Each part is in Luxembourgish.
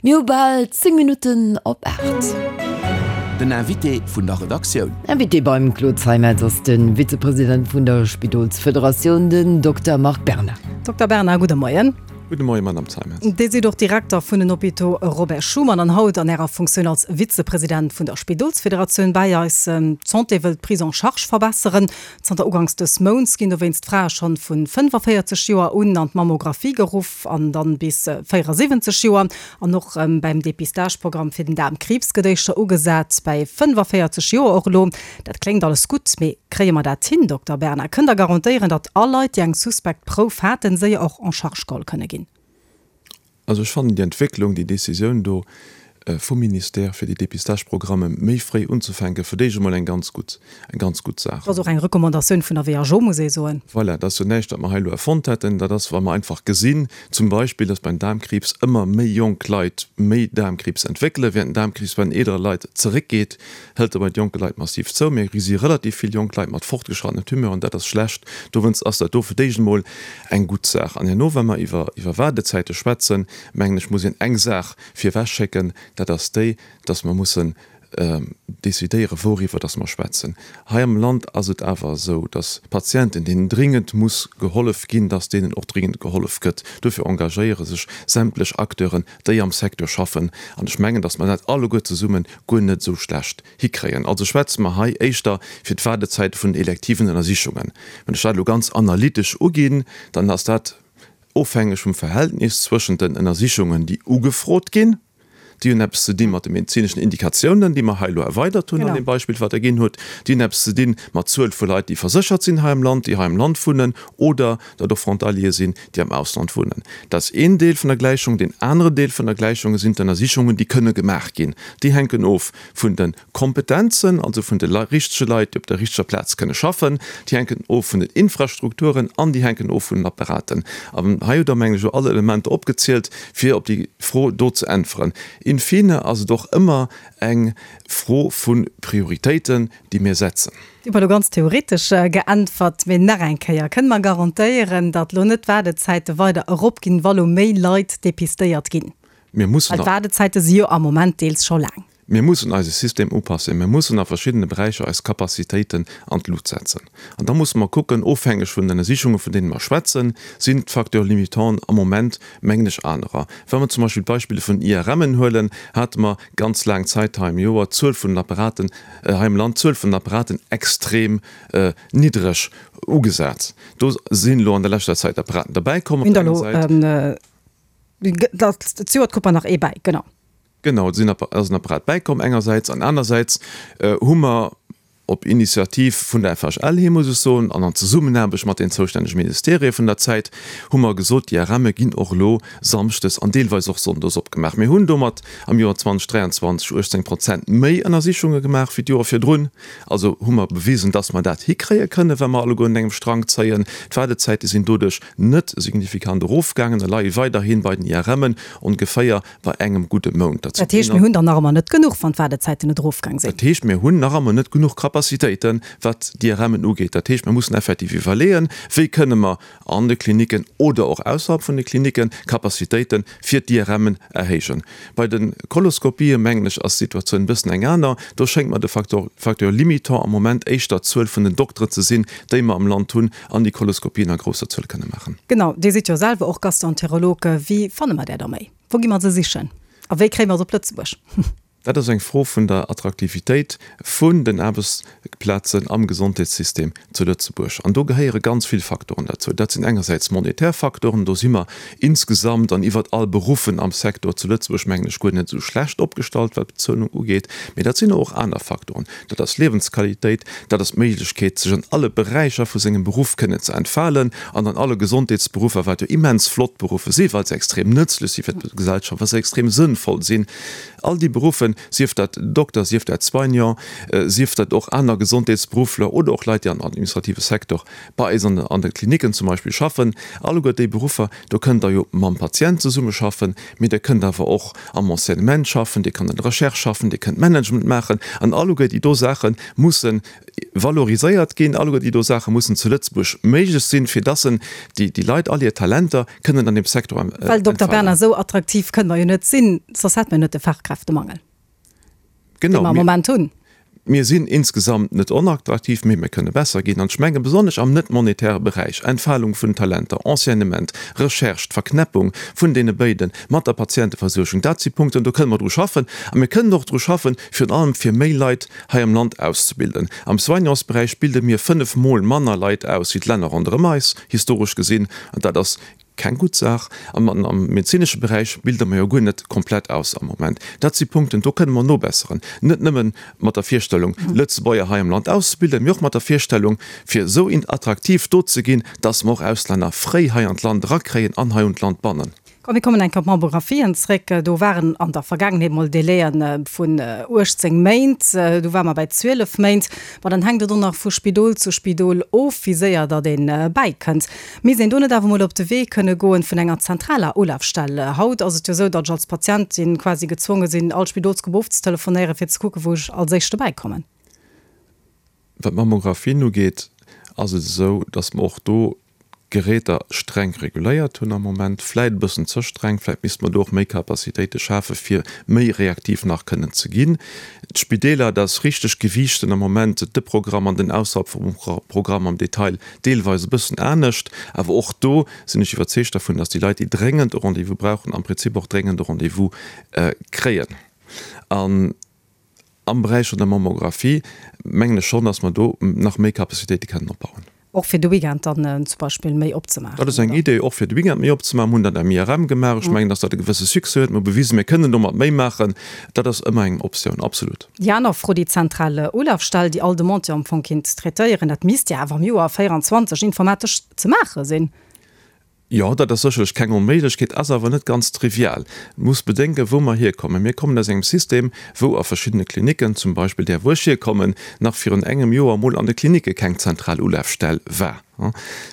Mir hu bal 10 Minutten op 8. Den Invité vun der Redaktioun. Invité beim Claude Zeimetz ass de Vizepresident vun der Spidolsfederatioun, den Dokter Marc Berna. Dokter Berna, gudde Moien. Gudde Moien, Madamm Zeimetz. Dir sidd och Direkter vun den Hôpitaux Robert Schuman an haut an Ärer Funktioun als Vizepresident vun der Spidolsfederatioun bäi eis. D'Santé wëll d'Prise en charge verbesseren. Zanter uganks dës Mounts ginn dowéinst d'Frae schonn vu 45 Joer un an d'Mammographie geruff an dann bis 74 Joer. An och bäim Depistage-Programm fir den Daarmkriibs gëtt éischter ugesat bäi 45 Joer och elo. Dat kléngt alles gutt, mee kréie mer dat hin, Dokter Berna? Kënnt Der garantéieren, datt all Leit, déi eng suspekt Prouf haten, séier och en charge geholl kënne ginn? Also ech fannen déi Entwécklung, déi Décisioun do vum Ministère, fir déi Dépistage-Programme méi fréi unzefänken, fir d'éischt emol eng ganz gutt, eng ganz gutt Saach. Dat ass och eng Recommandatioun vun der WHO, muss ee soen. Voilà, dat ass jo näischt, wat mer hei elo erfonnt hätten. Dat ass, wa mer einfach gesinn, zum Beispill, dass beim Daarmkriibs ëmmer méi jonk Leit méi Daarmkriibs entwéckelen, während den Daarmkriibs bei den eelere Leit zeréckgeet, hëlt e bei de jonke Leit massiv zou. Mir gesi relativ vill jonk Leit mat fortgeschrattenen Tumeuren, dat ass schlecht. Dowéinst ass dat do fir d'éischt emol Eng gutt Saach. An herno, wa mer iwwer iwwer Waardezäite schwätzen, mengen ech, muss een eng Saach virwechschécken, dat ass déi, dass mer mussen decidéieren, wouriwwer dass mer schwätzen. Hei am Land ass et awer esou, dass Patienten, deenen dringend muss gehollef ginn, dass deenen och dringend gehollef gëtt. Dofir engagéiere sech sämtlech Acteuren, déi am Secteur schaffen. An ech mengen, dass mer dat alleguer zesumme guer net esou schlecht hikréien. Also schwätze mer hei éischter fir d'Waardezäite vun den elektiven Ënnersichungen. Wann ech dat elo ganz analytesch uginn, dann ass dat ofhängeg vum Verhältnis zwëschent den Ënnersichungen, déi ugefrot ginn, déi hunn eppes ze di mat de medezineschen Indikatiounen, déi mer hei elo erweidert hunn an deem Beispill, wat Der ginn hutt, déi hunn eppes ze di mat Zuel vu Leit, déi verséchert sinn hei am Land, déi hei am Land wunnen oder dat och Frontaliere sinn, déi am Ausland wunnen. Dat ass een Deel vun der Gläichung. Deen aneren Deel vun der Gläichung sinn d'Ënnersichungen, déi kënne gemaach ginn. Déi hänken of vun de Kompetenzen, also vun de richtege Leit, déi op der richteger Plaz kënne schaffen. Déi hänken of vun den Infrastrukturen an déi hänken of vun den Apparaten. An hei hutt Der, mengen ech, elo all Elementer opgezielt, fir op déi Fro do ze äntweren. In fine ass et och ëmmer eng Fro vu Prioritéiten, déi mir setzen. Dir hutt elo ganz theoretesch geäntwert, mee nach eng Kéier, Kënne mer garantéieren, datt elo net d'Waardezäite weider eropginn, wa lo méi Leit depistéiert ginn? Mir mussen. Well d'Waardezäite si jo am Moment deels scho laang. Mir mussen eise System upassen. Mir mussen a verschiddene Beräicher eis Capacitéiten an d'Lut setzen. An da musse mer kucken, ofhängeg vun den Ënnersichunge vun deene mer schwätzen, sinn d'Facteurs limitants am Moment, mengen ech, anerer. Wa mer zum Beispill d'Beispiller vun den IRMen huelen, hate mer ganz laang Zäit hei am Joer d'Zuel vun den Apparaten, hei am Land d'Zuel vun den Apparaten extrem niddreg ugesat. Do sinn elo an der leschter Zäit Apparaten derbäikomm op der enger Säit. Zejoert krut mer nach ee bäi, genau. Genau, et sinn ass en Apparat bäikomm engersäits an anersäits hu mer op Initiativ vun der FHL hi, muss ech soen, an an Zesummenaarbecht mat den zoustännege Ministerië vun der Zäit, hu mer gesot, déi IRMe ginn och elo samschdes an deelweis och sonndes opgemaach. Mir hunn domat am Joer 2023 18 Prozent méi Ënnersichunge gemaach wéi d'Joer virdrun. Also hu mer bewisen, dass mer dat hikréie kënnen, wa mer alleguer un engem Strang zéien. D'Waardezäite sinn doduerch net signifikant erofgaangen a leie weiderhi bei den IRMen ongeféier bei engem gudde Mount. Dat Dat heescht, mir hunn der nach ëmmer net genuch, wann d'Waardezäiten net erofgaang sinn. Dat heescht, mir hunn nach ëmmer net genuch Capacitéiten, wat d'IRMen ugeet. Dat heescht, mir mussen effektiv iwwerleeën, wéi kënne mer an de Klinicken oder och ausserhalb vun de Klinicken Capacitéite fir d'IRMen erhéijen. Bei de Koloskopien, mengen ech, ass d'Situatioun e bëssen eng aner. Do schéngt mer de Facteur, Facteur limitant am Moment éischter d'Zuel vun den Dokteren ze sinn, déi mer am Land hunn an déi Koloskopien a grousser Zuel kënne maachen. Genau, Dir sidd jo selwer och Gastroenterolog. Wéi fanne mer där da méi? Wou gi mer se sichen a wéi kréie mer se op Lëtzebuerg? Dat ass eng Fro vun der Attraktivitéit vun den Aarbechtsplazen am Gesondheetssystem zu Lëtzebuerg. An do gehéiere ganz vill Faktoren derzou. Dat sinn engersäits monetär Faktoren, do si mer insgesamt an iwwert all Beruffen am Secteur zu Lëtzebuerg, mengen ech, guer net esou schlecht opgestallt, wat d'Bezuelung ugeet. Mee dat sinn och aner Faktoren. Dat ass Liewensqualitéit, dat ass d'Méiglechkeet, sech an alle Beräicher vu sengem Beruff kënnen ze entfalen an an alle Gesondheetsberuffer, wat jo immens flott Beruffe sinn, well se extrem nëtzlech si fir d'Gesellschaft, well se extrem sënnvoll sinn. All déi Beruffe. schaffen, sief dat Dokter, sief dat Soignant, sief dat och aner Gesondheetsberuffler oder och Leit, déi am administrative Secteur bei eis an de Klinicken zum Beispill schaffen. Alleguer déi Beruffer, do kënnt Der jo mam Patient zesummeschaffen, mee Der kënnt awer och am Enseignement schaffen, Dir kënnt an der Recherche schaffen, Dir kënnt Management maachen. An alleguer déi do Saache musse valoriséiert ginn, alleguer déi do Saache mussen zu Lëtzebuerg méiglech sinn, fir dass en déi Leit all hir Talenter kënnen an deem Secteur entfalen. Well, Dokter Bernard, esou attraktiv kënne mer jo net sinn, soss hätte mer jo net de Fachkräftemangel, dee mer am Moment hunn. Mir sinn insgesamt net onattraktiv, mee mir kënne besser ginn. An ech menge besonnesch am net monetäre Beräich, Entfalung vun Talenter, Enseignement, Recherche, d'Verknäppung vun deene béide mat der Patienteversuergung, dat si Punkten, do kënne mer dru schaffen. A mir kënnen och dru schaffen, virun allem fir méi Leit hei am Land auszebilden. Am Soignantsberäich bilde mir 5 Mol manner Leit aus wéi d'Länner ronderëm eis, historesch gesinn, an dat ass keng gutt Saach. An am medezinesche Beräich bilde mer jo guer net komplett aus am Moment. Dat si Punkten, do kënne mer nobesseren, net nëmme mat der Virstellung, Lëtzebuerger hei am Land auszebilden, mee och mat der Virstellung, fir esou attraktiv do ze ginn, dass mer och Auslänner fréi hei an d'Land erakréien an hei un d'Land bannen. Komm mir kommen eng Kéier op d'Mammografien zréck. Do waren an der Vergaangenheet mol Délaië vun 18 Méint, du ware mer bei 12 Méint. Ma dann hänkt et och nach vu Spidol zu Spidol of, wéi séier datt ee bäikënnt. Misst een do net awer mol op de Wee kënne goen vun enger zentraler Ulafstell? Haut ass et jo esou, datt ech als Patientin quasi gezwonge sinn, all Spidolsgrupp ofzetelefonéieren, fir ze kucken, wou ech als éischte bäikommen. Wat d'Mammografien ugeet, ass et esou, datt mer och do d'Geräter streng reguléiert hunn am Moment, vläit e bëssen ze streng, vläit misste mer do och méi Capacitéite schafe fir méi reaktiv nach kënnen ze ginn. D'Spideeler, dat ass richteg, gewiichten am Moment de Programm an den Ausbau vum Programm am Detail deelweis e bëssen anescht, awer och do sinn ech iwwerzeegt dervun, datt déi Leit, déi dréngend e Rendez-vous brauchen, am Prinzip och dréngend e Rendez-vous kréien. An Am Beräich vun der Mammographie mengen ech schonn, dass mer do nach méi Capacitéite kennen opbauen. Och fir de Weekend dann zum Beispill méi opzemaachen, Dat ass eng Idee, och fir de Weekend méi opzemaachen. Mir hunn dat am IRM gemaach. Ech mengen, dass dat e gewësse Succès huet. Mir hu bewisen, mir kënnen domat méi maachen. Dat ass ëmmer eng Optioun, absolut. Déi aner Fro, déi zentral Ulafstell, déi all Demande jo am Fong kinnt traitéieren, dat misst jo awer am Joer 24 informatesch ze maache sinn. Jo, dat ass sécherlech keng Onméiglechkeet, ass awer net ganz trivial. Et muss bedenken, wou mer hierkommen. Mir kommen aus engem System, wou a verschiddene Klinicken, zum Beispill där, wou ech hierkommen, nach virun engem Joer emol an de Klinicke keng zentral Ulafstell war.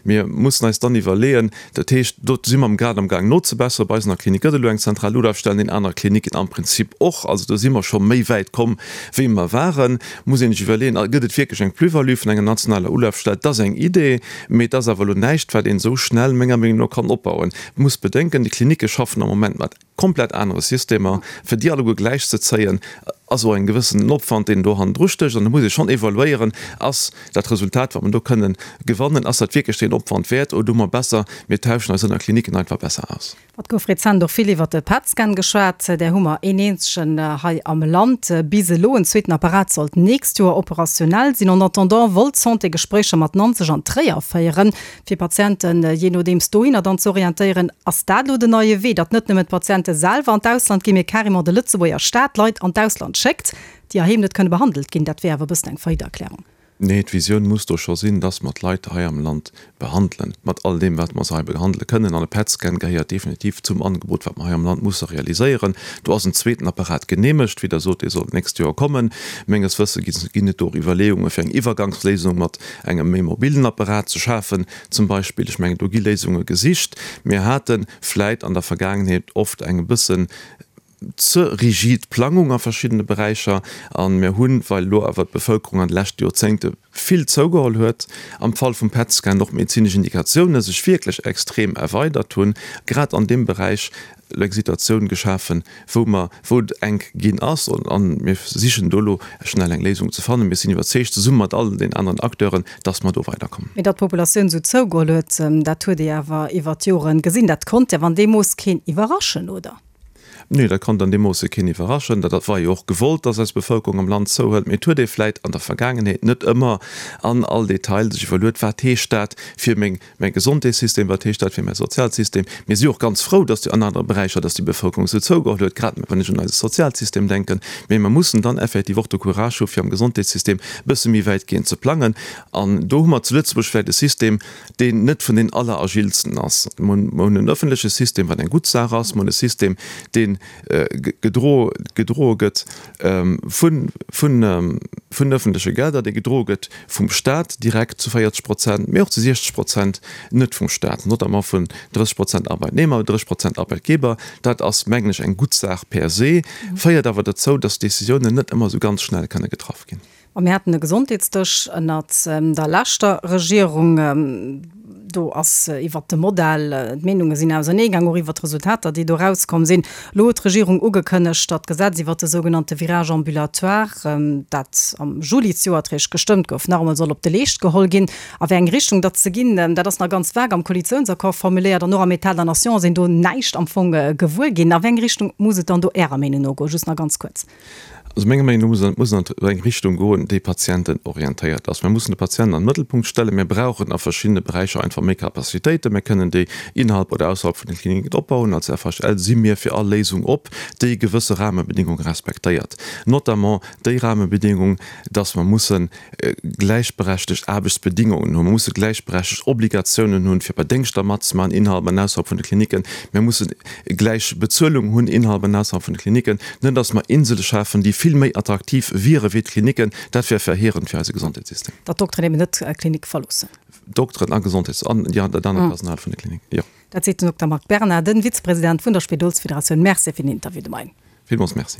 Mir mussen eis dann iwwerleeën, dat heescht, do si mer grad amgaang nozebesseren, bei eis an der Klinik gëtt elo eng zentral Ulafstell, an den anere Klinicken am Prinzip och. Also do si mer scho méi wäit komm, wéi mer waren. Muss een sech iwwerleeën, gëtt et wierklech eng Plus-value vun enger nationaler Ulafstell? Dat ass eng Idee, mee et ass awer elo näischt, wat een esou schnell menger Meenung no kann opbauen. Et muss bedenken, déi Klinicke schaffen am Moment mat komplett anere Systemer. Fir déi alleguer gläichzezéien, ass och en gewëssenen Opwand, deen do hannendru stécht. An da muss ee schonn evaluéieren, Ass dat Resultat, wat mer do kënnen gewannen, ass dat wierklech deen Opwand wäert oder hu mer besser, mir tauschen eis ënner Klinicken einfach besser aus? Et gouf rezent och vill iwwer de PET-Scan geschwat. Där hu mer een eenzegen hei am Land bis elo. En zweeten Apparat sollt d'nächst Joer operationell sinn. En attendant wollt d'Santé Gespréicher mat Nanzeg an Tréier féieren, fir Patienten jee nodeems dohinner dann ze orientéieren. Ass dat elo den neie Wee, datt net nëmmen d'Patiente selwer an d'Ausland ginn, mee carrément de Lëtzebuerger Staat Leit an d'Ausland schéckt, déi heiheem net kënne behandelt ginn? Dat wier awer e bëssen eng Faillite-Erklärung. Nee, d'Visioun muss do scho sinn, dass mer d'Leit hei am Land behandelen, mat all deem, wat mer se hei behandele kënnen. An e PET-Scan gehéiert definitiv zum Angebot, wat mer hei am Land musse realiséieren. Do ass en zweeten Apparat geneemegt, wéi Der sot, dee soll d'nächst Joer kommen. Menges Wësse ginn et do och Iwwerleeunge fir eng Iwwergangsléisung mat engem méi mobilen Apparat ze schafen, zum Beispill. Ech mengen, do gi Léisunge gesicht. Mir hate vläit an der Vergaangenheet oft eng e bëssen ze rigid Plangung a verschiddene Beräicher a mir hunn, well elo awer d'Bevëlkerung an de leschte Joerzéngte vill zougeholl huet, am Fall vum PET-Scan och d'medezinesch Indikatioune sech wierklech extrem erweidert hunn, grad an deem Beräich elo eng Situatioun geschafen, wou mer, wou et enk ginn ass a mir sichen do elo schnell eng Léisung ze fannen. Mir sinn iwwerzeegt, zesumme mat all den aneren Acteuren, dass mer do weiderkommen. Mee datt d'Populatioun esou zougeholl huet, dat huet ee awer iwwert d'Joren gesinn. Dat konnt jo an deem Mooss keen iwwerraschen, oder? Nee, dat konnt an deem Moosse keen iwwerraschen. Dat war jo och gewollt, dass eis Bevëlkerung am Land zouhëlt. Mee et huet ee vläit an der Vergaangenheet net ëmmer an all Detail sech iwwerluet, Wat heescht dat fir meng, mäi Gesondheetssystem? Wat heescht dat fir mäi Sozialsystem? Mir si och ganz frou, dass déi an anere Beräicher, dass déi Bevëlkerung esou zougeholl huet, grad wann ech un eise Sozialsystem denken. Mee mer mussen dann effektiv och de Courage hu fir am Gesondheetssystem e bësse méi wäitgehend ze plangen. An do hu mer zu Lëtzebuerg vläit e System, deen net vun den alleragilsten ass. Mer hunn en öffentleche System, wat eng gutt Saach ass. Mer hunn e System, dee. dee gedroe gëtt vun vun öffentleche Gelder, dee gedroe gëtt vum Stat direkt zu 40 Prozent, mee och zu 60 Prozent net vum Stat, notamment vun 30 Prozent Arbeitnehmer, 30 Prozent Arbeitgeber. Dat ass, mengen ech, eng gutt Saach per se, féiert awer dozou, dass Décisiounen net ëmmer esou ganz schnell kënne getraff ginn. A mir haten e Gesondheetsdësch ënnert der leschter Regierung. Do ass iwwert de Modell, d'Meenunge sinn auserneegaang, och iwwert d'Resultater, déi do erauskomm sinn. Elo huet d'Regierung ugekënnegt, datt d'Gesetz iwwert de sougenannte Virage ambulatoire, dat am Juli zejoert réischt gestëmmt gouf, nach emol soll op de Leescht geholl ginn. A wéi eng Richtung datt se ginn, dat ass nach ganz vag am Koalitiounsaccord formuléiert an och am État de la nation ass een do näischt am Fong gewuer ginn. A wéi eng Richtung muss et dann do Ärer Meenung no goen? Just nach ganz kuerz. Also menger Meenung no muss et an eng Richtung goen, déi patientenorientéiert ass. Mir mussen de Patient an den Mëttelpunkt stellen. Mir brauchen a verschiddene Beräicher einfach méi Capacitéiten. Mir kënnen déi innerhalb oder ausserhalb vun den Kliniken opbauen. Als FHL si mir fir all Léisung op, déi gewësse Rahmebedingunge respektéiert, notamment déi Rahmebedingung, dass mer mussen gläichberechtegt Aarbechtsbedingungen hunn, mer musse gläichberechtegt Obligatiounen hunn, fir bei Déngschter matzemaachen, innerhalb an ausserhalb vun de Kliniken, mir mussen gläich Bezuelung hunn innerhalb an ausserhalb vun de Kliniken, net dass mer Insele schafen, déi vill méi attraktiv wiere wéi d'Kliniken, dat wär verheerend fir eise Gesondheetssystem. Datt d'Dokteren eben net d'Klinik verloossen. Dokteren a Gesondheets an, jo, dat anert Personal vun de Kliniken, jo. Dat seet den Dokter Marc Bernard, den Vizepresident vun der Spidolsfederatioun. Merci fir den Interview de Moien. Villmools Merci.